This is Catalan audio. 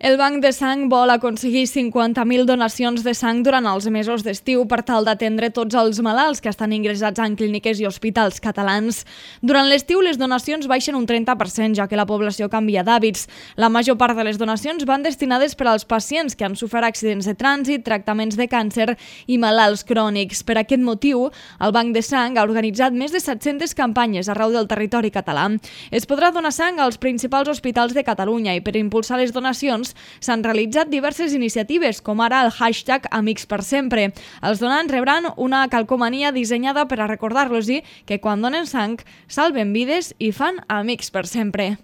El Banc de Sang vol aconseguir 50.000 donacions de sang durant els mesos d'estiu per tal d'atendre tots els malalts que estan ingressats en clíniques i hospitals catalans. Durant l'estiu les donacions baixen un 30%, ja que la població canvia d'hàbits. La major part de les donacions van destinades per als pacients que han sofert accidents de trànsit, tractaments de càncer i malalts crònics. Per aquest motiu, el Banc de Sang ha organitzat més de 700 campanyes arreu del territori català. Es podrà donar sang als principals hospitals de Catalunya i per impulsar les donacions s'han realitzat diverses iniciatives, com ara el hashtag Amics per Sempre. Els donants rebran una calcomania dissenyada per a recordar-los que quan donen sang salven vides i fan amics per sempre.